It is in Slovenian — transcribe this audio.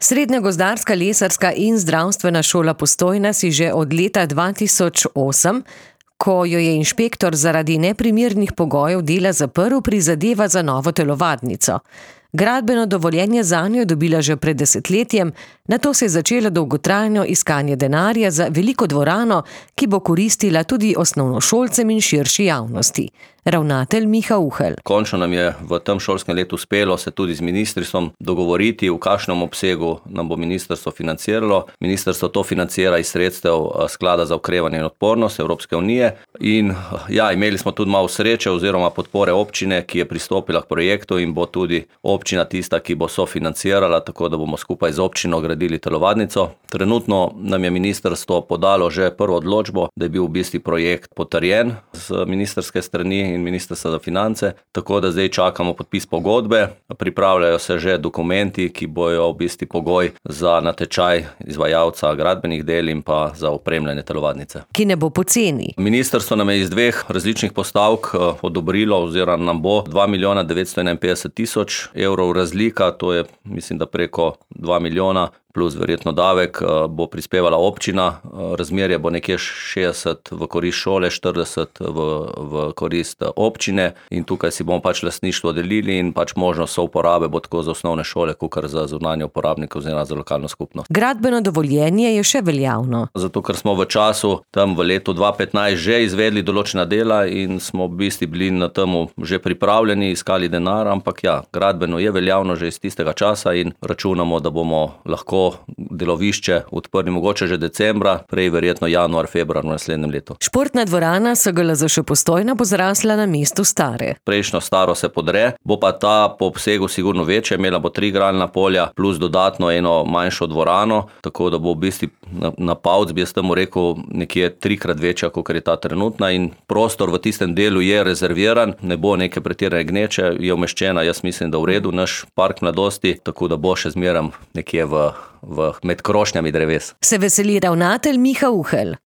Srednja gozdarska, lesarska in zdravstvena šola Postojna si že od leta 2008, ko jo je inšpektor zaradi neprimernih pogojev dela zaprl, prizadeva za novo telovadnico. Gradbeno dovoljenje zanjo je dobila že pred desetletjem, nato se je začelo dolgotrajno iskanje denarja za veliko dvorano, ki bo koristila tudi osnovnošolcem in širši javnosti. Ravnatelj Miha Uhelj. Končno nam je v tem šolskem letu uspelo se tudi z ministrstvom dogovoriti, v kakšnem obsegu nam bo ministrstvo financiralo. Ministrstvo to financira iz sredstev Sklada za okrevanje in odpornost Evropske unije. In imeli smo tudi malo sreče oziroma podpore občine, ki je pristopila k projektu in bo tudi občina tista, ki bo sofinancirala, tako da bomo skupaj z občino gradili telovadnico. Trenutno nam je ministrstvo podalo že prvo odločbo, da je bil v bistvu projekt potrjen z ministrske strani in Ministrstva za finance, tako da zdaj čakamo podpis pogodbe, pripravljajo se že dokumenti, ki bojo v bistvu pogoj za natečaj izvajalca gradbenih del in pa za opremljanje telovadnice. Ki ne bo poceni. Ministrstvo nam je iz dveh različnih postavk odobrilo oziroma nam bo 2.951.000 evrov razlika, to je mislim, da preko 2 milijona plus verjetno davek bo prispevala občina, razmerje bo nekje 60 v korist šole, 40 v korist občine in tukaj si bomo lastništvo delili in možnost souporabe bo tako za osnovne šole, kakor za zunanje uporabnike oziroma za lokalno skupnost. Gradbeno dovoljenje je še veljavno. Zato, ker smo v času tam v letu 2015 že izvedli določena dela in smo v bistvu bili na temu že pripravljeni, iskali denar, ampak gradbeno je veljavno že iz tistega časa in računamo, da bomo lahko delovišče odprli mogoče že decembra, prej verjetno januar, februar v naslednjem letu. Športna dvorana SGLZŠ Postojna bo zrasla na mestu stare. Prejšnjo staro se podre, bo pa ta po obsegu sigurno večja, imela bo 3 igralna polja plus dodatno eno manjšo dvorano, tako da bo v bistvu na Pavc, bi jaz temu rekel, nekje 3-krat večja, kot je ta trenutna in prostor v tistem delu je rezerviran, ne bo neke pretirane gneče, je umeščena, jaz mislim, da v redu, naš park mladosti, tako da bo še zmeraj nekje med krošnjami dreves. Se veseli ravnatelj Miha Uhelj.